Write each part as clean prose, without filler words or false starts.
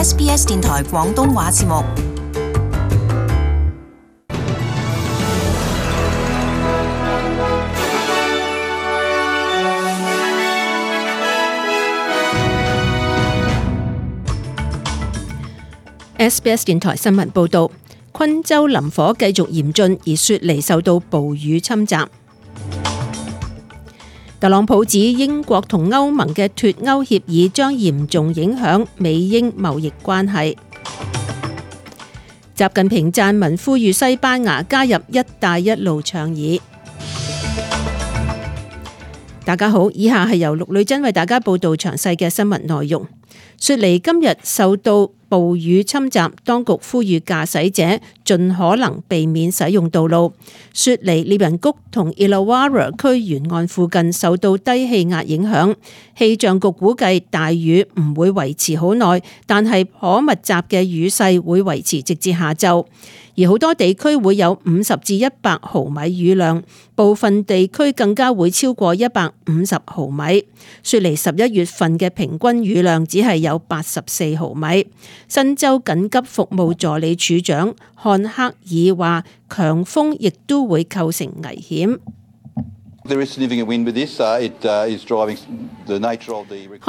SBS 電台廣東話節目。SBS 電台新聞報導，昆州林火繼續嚴峻，而雪梨受到暴雨侵襲。特朗普指英國同歐盟嘅脫歐協議將嚴重影響美英貿易關係。習近平撰文呼籲西班牙加入一帶一路倡議。大家好，以下係由陸女珍為大家報道詳細嘅新聞內容。雪梨今日受到暴雨侵襲，當局呼籲駕駛者盡可能避免使用道路。雪梨獵人谷同 Illawarra 區沿岸附近受到低氣壓影響，氣象局估計大雨唔會維持好耐，但係可密集嘅雨勢會維持直至下晝。而好多地區會有50至100毫米雨量，部分地區更加會超過150毫米。雪梨11月份嘅平均雨量只係有84毫米。新州緊急服務助理處長漢克爾話，強風亦都會構成危險。漢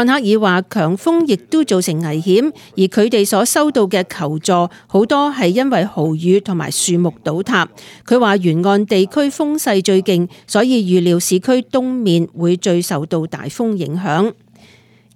克爾話，強風亦都造成危險，而佢哋所收到嘅求助好多係因為豪雨同埋樹木倒塌。佢話沿岸地區風勢最勁，所以預料市區東面會最受到大風影響。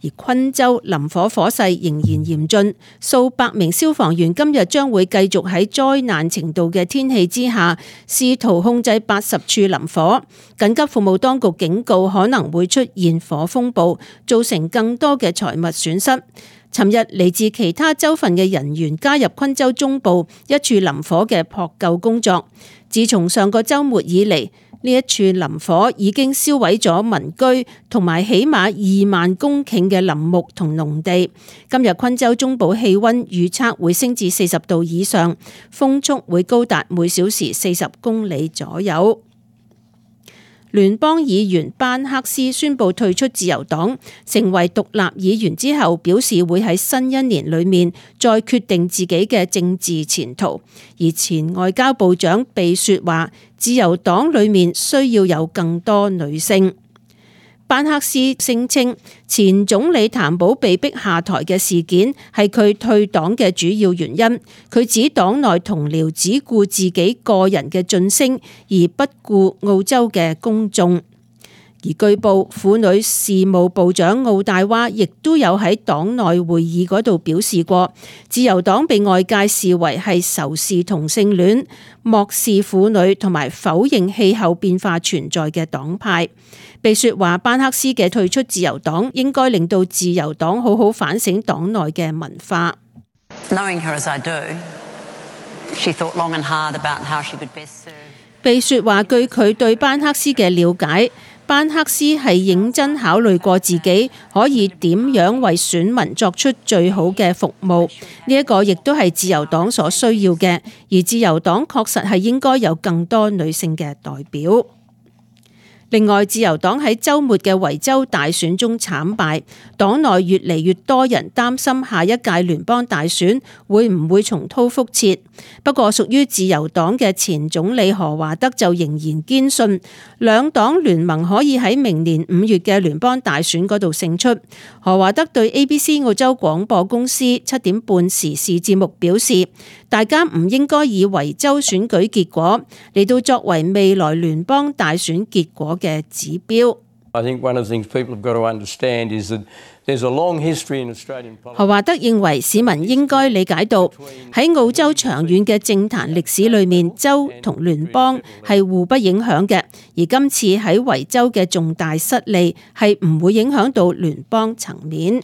而昆州林火火勢仍然嚴峻，數百名消防員今日將會繼續喺災難程度嘅天氣之下，試圖控制80處林火。緊急服務當局警告可能會出現火風暴，造成更多嘅財物損失。尋日嚟自其他州份嘅人員加入昆州中部一處林火嘅撲救工作。自從上個週末以嚟，呢一處林火已經燒毀咗民居同埋起碼2萬公頃嘅林木同農地。今日昆州中部氣溫預測會升至40度以上，風速會高達每小時40公里左右。聯邦議員班克斯宣布退出自由黨，成為獨立議員之後，表示會喺新一年裏面再決定自己嘅政治前途。而前外交部長貝雪話，自由黨裏面需要有更多女性。班克斯聲稱，前總理譚寶被逼下台嘅事件係佢退黨嘅主要原因。佢指黨內同僚只顧自己個人嘅晉升，而不顧澳洲嘅公眾。而據報，婦女事務部長奧大娃亦都有喺黨內會議嗰度表示過，自由黨被外界視為係仇視同性戀、漠視婦女同埋否認氣候變化存在嘅黨派。貝雪話，班克斯嘅退出自由黨應該令到自由黨好好反省黨內嘅文化。貝雪話，據佢對班克斯嘅了解，班克斯係認真考慮過自己可以點樣為選民作出最好嘅服務，呢一個亦都係自由黨所需要嘅，而自由黨確實係應該有更多女性嘅代表。另外，自由黨喺週末嘅維州大選中慘敗，黨內越嚟越多人擔心下一屆聯邦大選會唔會重蹈覆轍。不過，屬於自由黨嘅前總理何華德就仍然堅信兩黨聯盟可以喺明年5月嘅聯邦大選嗰度勝出。何華德對 ABC 澳洲廣播公司7點半時事節目表示，大家唔應該以維州選舉結果嚟到作為未來聯邦大選結果嘅指標。何華德認為市民應該理解到喺澳洲長遠嘅政壇歷史裏面，州同聯邦係互不影響嘅，而今次喺維州嘅重大失利係唔會影響到聯邦層面。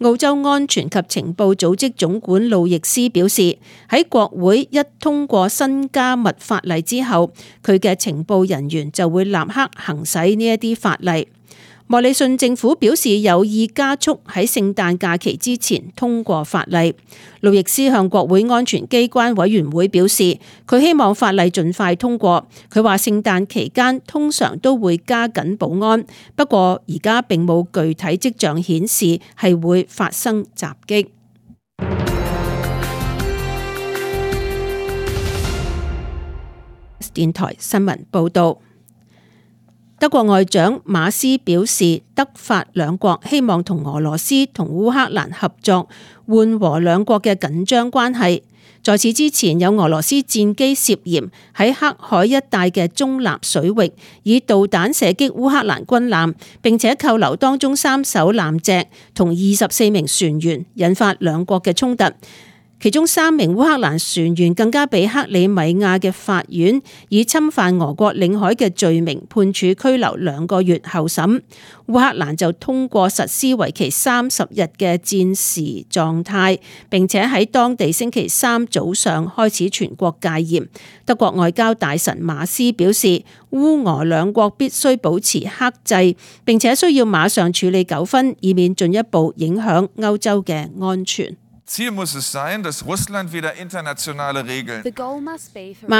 澳洲安全及情報組織總管路易斯表示，喺國會一通過新加密法例之後，佢嘅情報人員就會立刻行使呢一啲法例。莫里遜政府表示有意加速喺聖誕假期之前通過法例。路易斯向國會安全機關委員會表示，佢希望法例盡快通過。佢話聖誕期間通常都會加緊保安，不過而家並冇具體跡象顯示係會發生襲擊。電台新聞報道。德國外長馬斯表示，德法兩國希望同俄羅斯同烏克蘭合作，緩和兩國嘅緊張關係。在此之前，有俄羅斯戰機涉嫌喺黑海一帶嘅中立水域以導彈射擊烏克蘭軍艦，並且扣留當中3艘艦隻同24名船員，引發兩國嘅衝突。其中3名烏克蘭船員更加被克里米亞嘅法院以侵犯俄國領海嘅罪名判處拘留2個月候審。烏克蘭就通過實施為期30日嘅戰時狀態，並且喺當地星期3早上開始全國戒嚴。德國外交大臣馬斯表示，烏俄兩國必須保持克制，並且需要馬上處理糾紛，以免進一步影響歐洲嘅安全。馬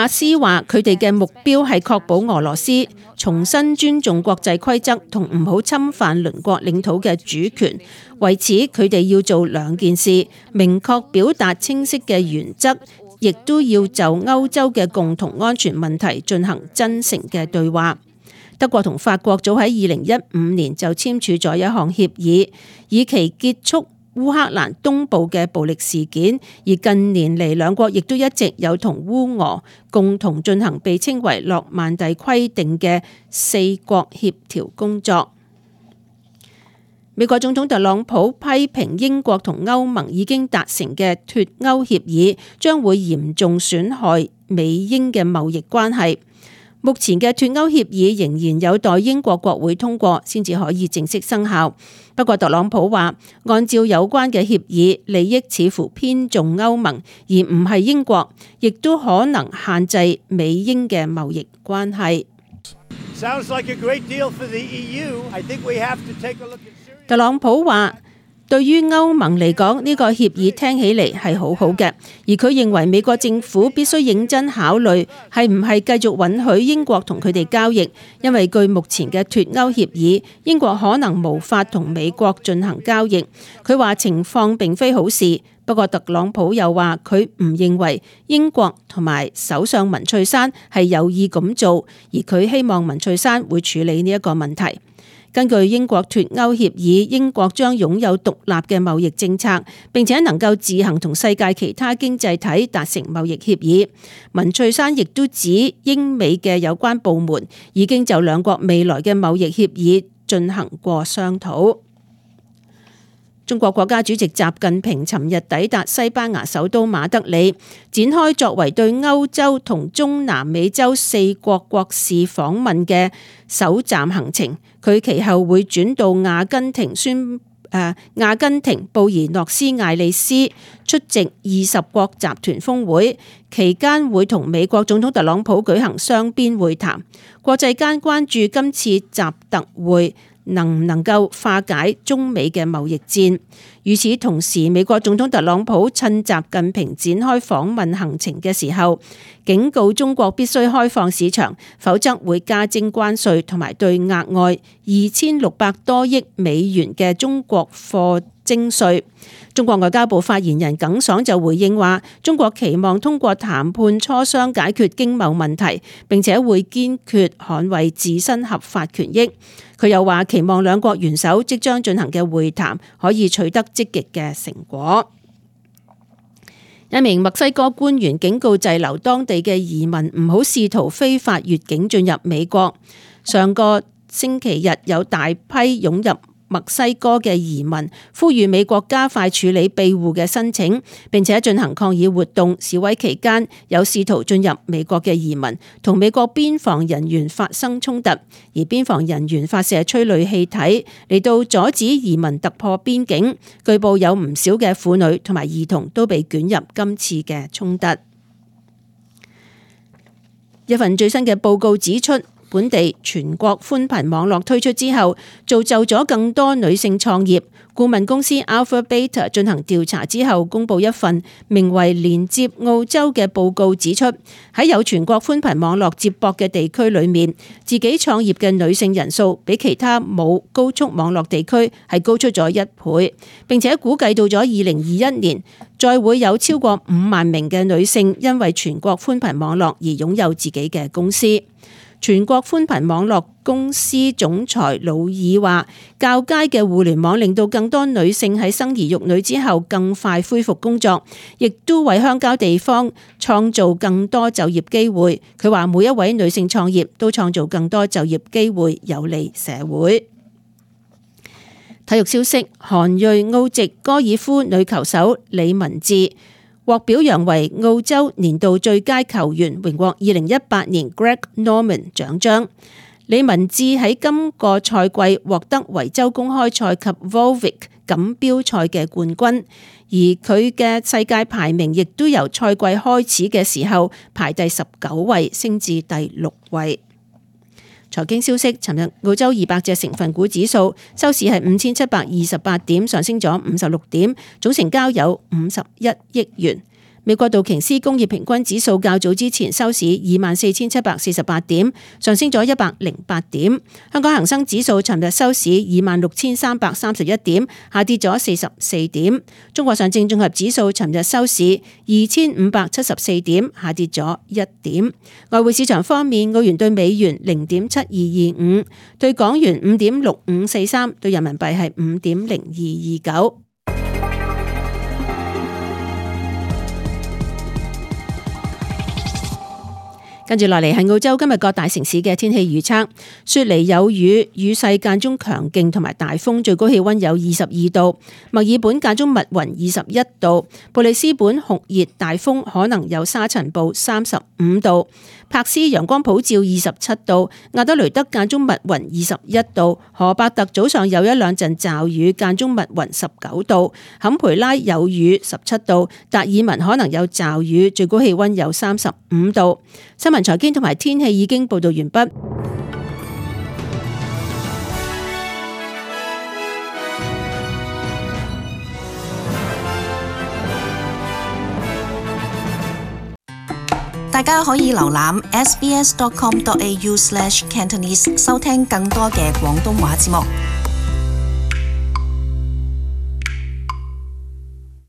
斯話：佢哋嘅目標係確保俄羅斯重新尊重國際規則同唔好侵犯鄰國領土嘅主權。為此，佢哋要做2件事：明確表達清晰嘅原則，亦都要就歐洲嘅共同安全問題進行真誠嘅對話。德國同法國早喺2015年就簽署咗一項協議，以期結束烏克蘭東部嘅暴力事件，而近年嚟兩國亦都一直有同烏俄共同進行被稱為諾曼第規定嘅4國協調工作。美國總統特朗普批評英國同歐盟已經達成嘅脫歐協議將會嚴重損害美英嘅貿易關係。目前嘅脫歐協議仍然有待英國國會通過先至可以正式生效。不過特朗普話，按照有關嘅協議，利益似乎偏重歐盟，而唔係英國，亦都可能限制美英嘅貿易關係。特朗普話，對於歐盟嚟講，呢個協議聽起嚟係好好嘅，而佢認為美國政府必須認真考慮係唔係繼續允許英國同佢哋交易，因為據目前嘅脫歐協議，英國可能無法同美國進行交易。佢話情況並非好事，不過特朗普又話佢唔認為英國同埋首相文翠珊係有意咁做，而佢希望文翠珊會處理呢一個問題。根據英國脫歐協議，英國將擁有獨立嘅貿易政策，並且能夠自行同世界其他經濟體達成貿易協議。文翠珊亦都指英美嘅有關部門已經就兩國未來嘅貿易協議進行過商討。中國國家主席習近平尋日抵達西班牙首都馬德里，展開作為對歐洲同中南美洲4國國事訪問嘅首站行程。佢其後會轉到阿根廷布宜諾斯艾利斯出席20國集團峰會，期間會同美國總統特朗普舉行雙邊會談。國際間關注今次習特會能唔能夠化解中美嘅貿易戰。與此同時，美國總統特朗普趁習近平展開訪問行程嘅時候，警告中國必須開放市場，否則會加徵關稅同埋對額外2600多億美元嘅中國貨徵稅。中國外交部發言人耿爽就回應話，中國期望通過談判磋商解決經貿問題，並且會堅決捍衛自身合法權益。佢又話期望兩國元首即將進行嘅會談可以取得積極嘅成果。一名墨西哥官員警告滯留當地嘅移民唔好試圖非法越境進入美國。上個星期日有大批湧入墨西哥嘅移民，呼籲美國加快處理庇護嘅申請，並且進行抗議活動。示威期間有試圖進入美國嘅移民同美國邊防人員發生衝突，而邊防人員發射催淚氣體嚟到阻止移民突破邊境。據報有唔少嘅婦女同埋兒童都被捲入今次嘅衝突。一份最新嘅報告指出，本地全國寬頻網絡推出之後，造就咗更多女性創業。顧問公司 Alpha Beta 進行調查之後，公佈一份名為《連接澳洲》嘅報告，指出喺有全國寬頻網絡接駁嘅地區裏面，自己創業嘅女性人數比其他冇高速網絡地區係高出咗1倍，並且估計到咗2021年，再會有超過5萬名嘅女性因為全國寬頻網絡而擁有自己嘅公司。全國寬頻網絡公司總裁魯爾話，較佳嘅互聯網令到更多女性喺生兒育女之後更快恢復工作，亦都為鄉郊地方創造更多就業機會。佢話每一位女性創業都創造更多就業機會，有利社會。體育消息，韓裔澳籍高爾夫女球手李文智獲表揚為澳洲年度最佳球員，榮獲2018年 Greg Norman 獎章。李文智喺今個賽季獲得維州公開賽及 Volvic 錦標賽嘅冠軍，而佢嘅世界排名亦都由賽季開始嘅時候排第19位升至第6位。財經消息，尋日澳洲200隻成分股指數收市係5728點，上升咗56點，總成交有51億元。美國道瓊斯工業平均指數較早之前收市24,748點，上升咗108點。香港恒生指數尋日收市26,331點，下跌咗44點。中國上證綜合指數尋日收市2,574點，下跌咗1點。外匯市場方面，澳元對美元0.7225，對港元5.6543，對人民幣係5.0229。跟住落嚟係澳洲今日各大城市嘅天氣預測：雪梨有雨，雨勢間中強勁同埋大風，最高氣溫有22度；墨爾本間中密雲21度；布里斯本酷熱大風，可能有沙塵暴35度；柏斯陽光普照27度；亞德雷德間中密雲21度；荷伯特早上有一兩陣驟雨，間中密雲19度；坎培拉有雨17度；達爾文可能有驟雨，最高氣溫有35度。新聞財經同埋天氣已經報道完畢。大家可以瀏覽 sbs.com.au/cantonese 收聽更多嘅廣東話節目。